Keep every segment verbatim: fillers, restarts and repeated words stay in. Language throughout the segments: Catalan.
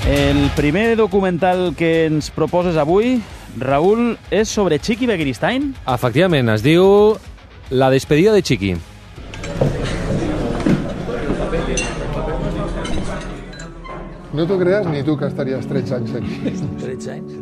El primer documental que ens proposes avui, Raül, és sobre Chiqui Begiristain? Efectivament, es diu La despedida de Chiqui. No t'ho creas ni tu que estaries tretze anys aquí. tretze anys?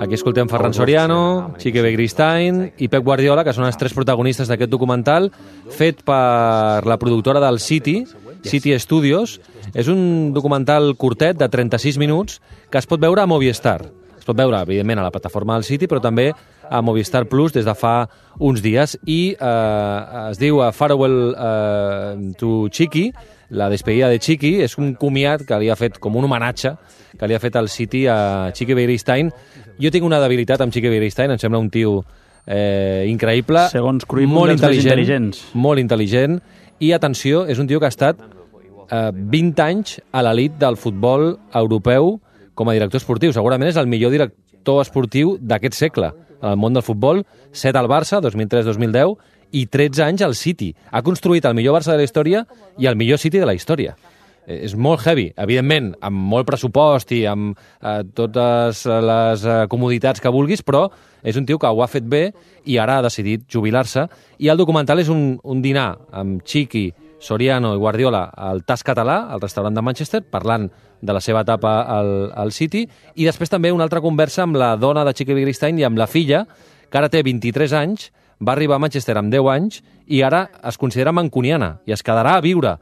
Aquí escoltem Ferran Soriano, Chiqui Begiristain i Pep Guardiola, que són els tres protagonistes d'aquest documental, fet per la productora del City, City Studios. És un documental curtet de trenta-sis minuts que es pot veure a Movistar. Es pot veure, evidentment, a la plataforma del City, però també a Movistar Plus des de fa uns dies. I eh, es diu Farewell eh, to Chiqui, la despedida de Chiqui. És un comiat que li ha fet com un homenatge que li ha fet el City a Chiqui Begiristain. Jo tinc una debilitat amb Chiqui Begiristain, em sembla un tio eh, increïble, segons Cruyff, molt intel·ligent, intel·ligents. molt intel·ligent, i atenció, és un tio que ha estat eh, vint anys a l'elit del futbol europeu com a director esportiu. Segurament és el millor director esportiu d'aquest segle en el món del futbol. set al Barça, dos mil tres dos mil deu, i tretze anys al City. Ha construït el millor Barça de la història i el millor City de la història. És molt heavy, evidentment, amb molt pressupost i amb eh, totes les eh, comoditats que vulguis, però és un tio que ho ha fet bé i ara ha decidit jubilar-se. I el documental és un, un dinar amb Chiqui, Soriano i Guardiola al Tas Català, al restaurant de Manchester, parlant de la seva etapa al, al City, i després també una altra conversa amb la dona de Chiqui Begiristain i amb la filla, que ara té vint-i-tres anys, va arribar a Manchester amb deu anys i ara es considera mancuniana i es quedarà a viure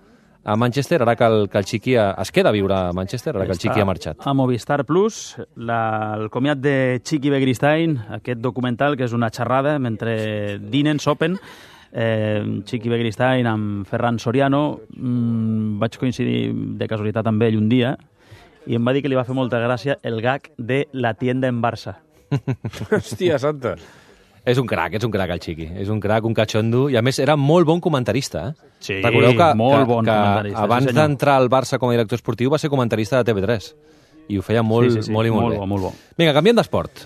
a Manchester, ara que el, que el Chiqui es queda a viure a Manchester, ara que el Chiqui ha marxat. A Movistar Plus, la, el comiat de Chiqui Begiristain, aquest documental que és una xerrada mentre dinen, sopen, eh, Chiqui Begiristain amb Ferran Soriano. Mm, vaig coincidir de casualitat amb ell un dia i em va dir que li va fer molta gràcia el gag de la tienda en Barça. Hòstia santa. És un crac, és un crac el Chiqui. És un crac, un cachondo, i a més era molt bon comentarista. Eh? Sí, recordeu que, molt que, bon que comentarista. abans sí, d'entrar al Barça com a director esportiu va ser comentarista de T V tres. I ho feia molt, sí, sí, sí, molt i molt, molt bé. bo, molt bo. Vinga, canviem d'esport.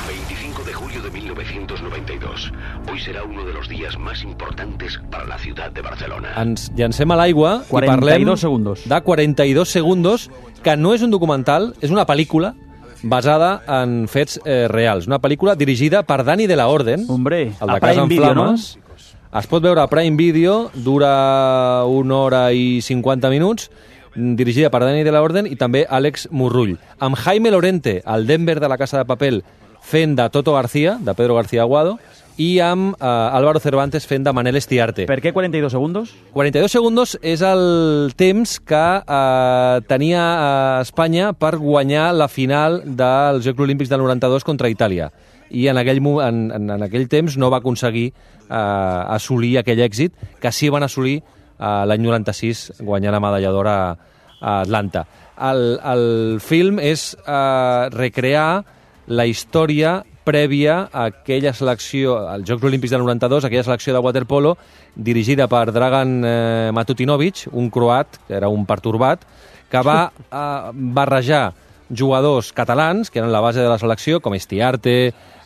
veinticinco de julio de mil novecientos noventa y dos. Hoy será uno de los días más importantes para la ciudad de Barcelona. Ens llancem a l'aigua i quaranta i parlem dos segundos. de quaranta i dos segundos, que no és un documental, és una pel·lícula basada en fets eh, reals. Una pel·lícula dirigida per Dani de la Orden, Hombre, el de a Casa Prime en Video, Flames. No? Es pot veure a Prime Video, dura una hora i cinquanta minuts, dirigida per Dani de la Orden i també Àlex Murrull. Amb Jaime Lorente, el Denver de la Casa de Papel, fent de Toto García, de Pedro García Aguado, i amb eh, Álvaro Cervantes fent de Manel Estiarte. Per què quaranta i dos segundos? quaranta i dos segundos és el temps que eh, tenia eh, Espanya per guanyar la final dels Jocs Olímpics del noranta-dos contra Itàlia. I en aquell, en, en, en aquell temps no va aconseguir eh, assolir aquell èxit que sí van assolir eh, l'any noranta-sis guanyant la medalla d'or a, a Atlanta. El, el film és eh, recrear la història prèvia a aquella selecció, als Jocs Olímpics del noranta-dos, aquella selecció de waterpolo dirigida per Dragan eh, Matutinovic, un croat, que era un pertorbat, que va eh, barrejar jugadors catalans, que eren la base de la selecció, com Estiarte,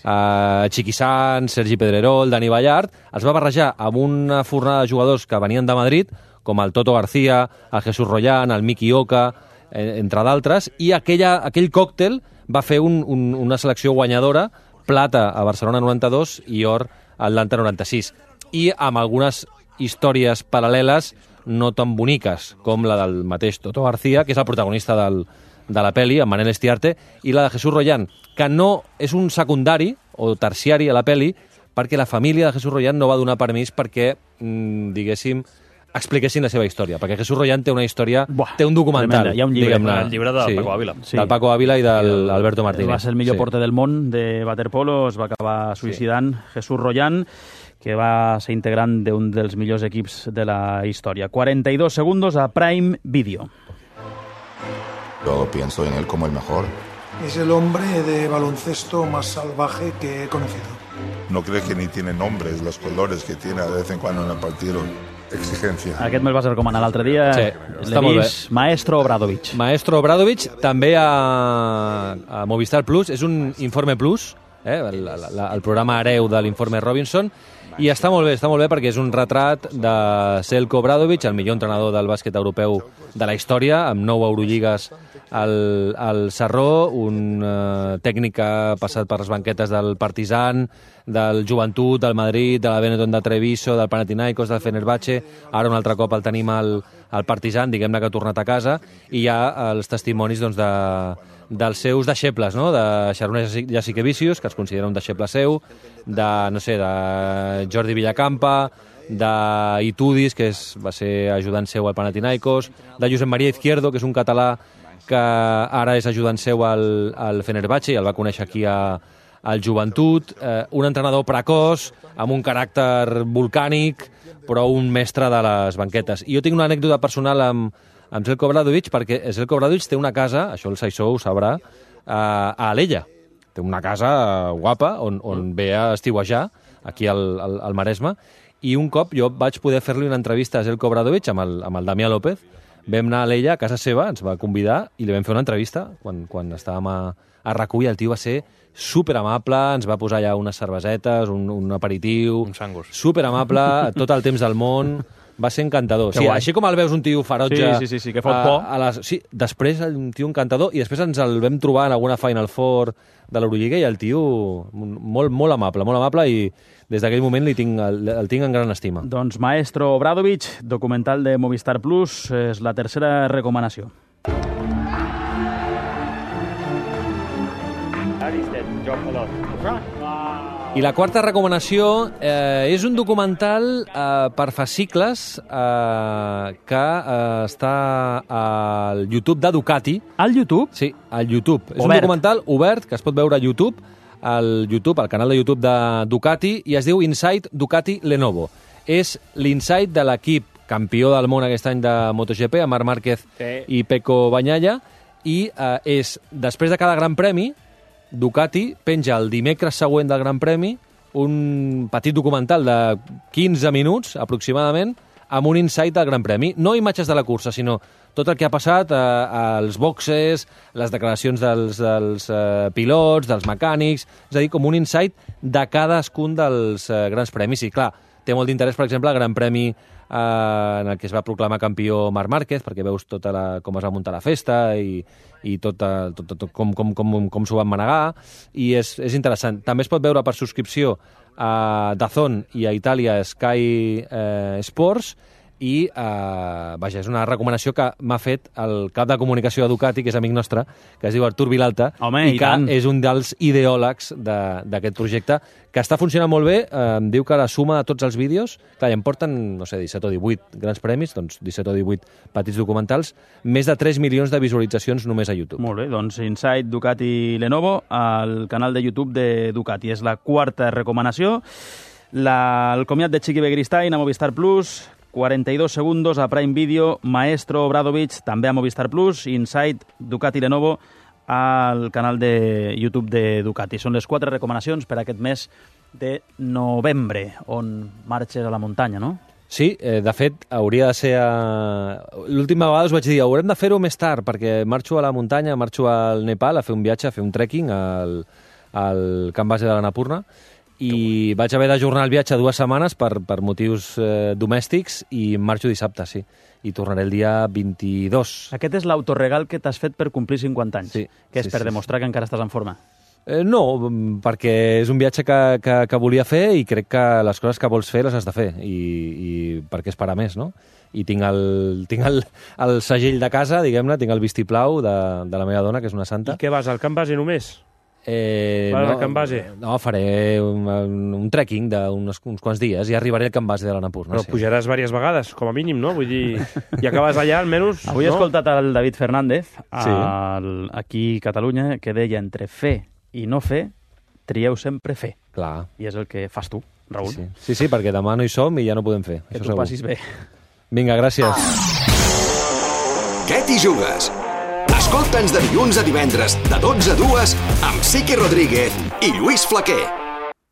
eh, Chiqui Sanz, Sergi Pedrerol, Dani Ballart, els va barrejar amb una fornada de jugadors que venien de Madrid, com el Toto García, el Jesús Rollán, el Miki Oka, eh, entre d'altres, i aquella, aquell còctel va fer un, un, una selecció guanyadora, plata a Barcelona noranta-dos i or a Atlanta noranta-sis. I amb algunes històries paral·leles no tan boniques com la del mateix Toto García, que és el protagonista del, de la pel·li, amb Manel Estiarte, i la de Jesús Rollán, que no és un secundari o terciari a la pel·li, perquè la família de Jesús Rollán no va donar permís perquè, mmm, diguéssim, expliquessin la seva història, perquè Jesús Rollán té una història, Buah, té un documental. Tremenda. Hi ha un llibre, diguem-ne. el llibre del sí, Paco Ávila. Sí. Del Paco Ávila i del Alberto Martínez. Va ser el millor sí. porter del món de waterpolo, es va acabar suïcidant sí. Jesús Rollán, que va ser integrant d'un dels millors equips de la història. quaranta i dos segundos a Prime Video. Yo pienso en él como el mejor. Es el hombre de baloncesto más salvaje que he conocido. No crees que ni tiene nombres, los colores que tiene de vez en cuando en el partido. Exigencia. Aquest me'l vas recomanar l'altre dia. Sí, està molt bé. Maestro Obradovic. Maestro Obradovic, també a, a Movistar Plus, és un Informe Plus, eh, el, el, el programa hereu de l'Informe Robinson, i està molt bé, està molt bé perquè és un retrat de Selko Obradovic, el millor entrenador del bàsquet europeu de la història, amb nou Eurolligues al, al Sarró, un uh, tècnic que ha passat per les banquetes del Partizan, del Joventut, del Madrid, de la Benetton de Treviso, del Panathinaikos, del Fenerbahce. Ara un altre cop el tenim al, al Partizan, diguem-ne que ha tornat a casa, i hi ha els testimonis doncs, de, dels seus deixebles, no? De Sharon Jasikevičius, que es considera un deixeble seu, de, no sé, de Jordi Villacampa, d'Itudis, que és, va ser ajudant seu al Panathinaikos, de Josep Maria Izquierdo, que és un català que ara és ajudant seu al, al Fenerbahce i el va conèixer aquí a, al Joventut, eh, un entrenador precoç, amb un caràcter volcànic, però un mestre de les banquetes. I jo tinc una anècdota personal amb, amb Zeljko Obradović, perquè Zeljko Obradović té una casa, això el Saissó ho sabrà, a, a Alella. Té una casa guapa on, on ve a estiuejar, aquí al, al, al Maresme, i un cop jo vaig poder fer-li una entrevista a Zeljko Obradović amb el, amb el Damià López. Vam anar a l'ella, a casa seva, ens va convidar i li vam fer una entrevista quan, quan estàvem a, a RAC u, i el tio va ser superamable, ens va posar allà unes cervesetes, un, un aperitiu... Un sangus. Superamable, tot el temps del món, va ser encantador. Sí, així com el veus un tio ferotge... Sí, sí, sí, sí que fot por. A, a les, sí, després un tio encantador, i després ens el vam trobar en alguna Final Four de l'Eurolliga, i el tio molt, molt amable, molt amable, i des d'aquell moment li tinc, el, el tinc en gran estima. Doncs Maestro Obradović, documental de Movistar Plus, és la tercera recomanació. I la quarta recomanació eh, és un documental eh, per fascicles eh, que eh, està al YouTube de Ducati. Al YouTube? Sí, al YouTube. És Obert. un documental obert que es pot veure a YouTube, al YouTube, al canal de YouTube de Ducati, i es diu Inside Ducati Lenovo. És l'insight de l'equip campió del món aquest any de MotoGP, amb Marc Márquez sí. i Pecco Bagnaia, i eh, és, després de cada gran premi, Ducati penja el dimecres següent del Gran Premi un petit documental de quinze minuts, aproximadament, amb un insight del Gran Premi. No imatges de la cursa, sinó tot el que ha passat eh, als boxes, les declaracions dels, dels eh, pilots, dels mecànics, és a dir, com un insight de cadascun dels eh, grans premis. I, clar, té molt d'interès, per exemple, el Gran Premi eh, en el que es va proclamar campió Marc Márquez, perquè veus tota la, com es va muntar la festa i, i tot, tot, tot, tot com, com, com, com s'ho van manegar, i és, és interessant. També es pot veure per subscripció a DAZN i a Itàlia Sky eh, Sports, i eh, vaja, és una recomanació que m'ha fet el cap de comunicació de Ducati, que és amic nostre, que es diu Artur Vilalta. Home, i, i que tant. és un dels ideòlegs d'aquest projecte, que està funcionant molt bé. Eh, em diu que la suma de tots els vídeos, clar, ja em porten, no sé, disset o divuit grans premis, doncs disset o divuit petits documentals, més de tres milions de visualitzacions només a YouTube. Molt bé, doncs Inside Ducati Lenovo al canal de YouTube de Ducati. És la quarta recomanació. La, el comiat de Txiki Begiristain a Movistar Plus, quaranta-dos segundos a Prime Video, Maestro Obradović també a Movistar Plus, Inside Ducati Lenovo al canal de YouTube de Ducati. Són les quatre recomanacions per aquest mes de novembre, on marxes a la muntanya, no? Sí, eh, de fet, hauria de ser... A... L'última vegada us vaig dir, haurem de fer-ho més tard, perquè marxo a la muntanya, marxo al Nepal a fer un viatge, a fer un trekking al, al camp base de l'Annapurna, i vaig haver d'ajornar el viatge dues setmanes per, per motius eh, domèstics, i marxo dissabte, sí. I tornaré el dia vint-i-dos. Aquest és l'autoregal que t'has fet per complir cinquanta anys, sí, que és sí, per sí, demostrar sí. que encara estàs en forma. Eh, no, perquè és un viatge que, que, que volia fer, i crec que les coses que vols fer les has de fer, i, i perquè és per a més, no? I tinc el, tinc el, el segell de casa, diguem-ne, tinc el vistiplau de, de la meva dona, que és una santa. I què vas, al camp base només? Eh, Vas no, al camp base? No, faré un, un, un trekking d'uns uns quants dies i arribaré al camp base de l'Annapurna. Però sí. pujaràs diverses vegades, com a mínim, no? Vull dir, i acabes allà, almenys... Avui he no? escoltat el David Fernández, Sí. al, aquí a Catalunya, que deia entre fer i no fer, trieu sempre fer. Clar. I és el que fas tu, Raül. Sí, sí, sí, perquè demà no hi som i ja no podem fer. Que això tu segur. passis bé. Vinga, gràcies. Què t'hi jugues? Escolta'ns de dilluns a divendres, de dotze a dues, amb Sique Rodríguez i Lluís Flaquer.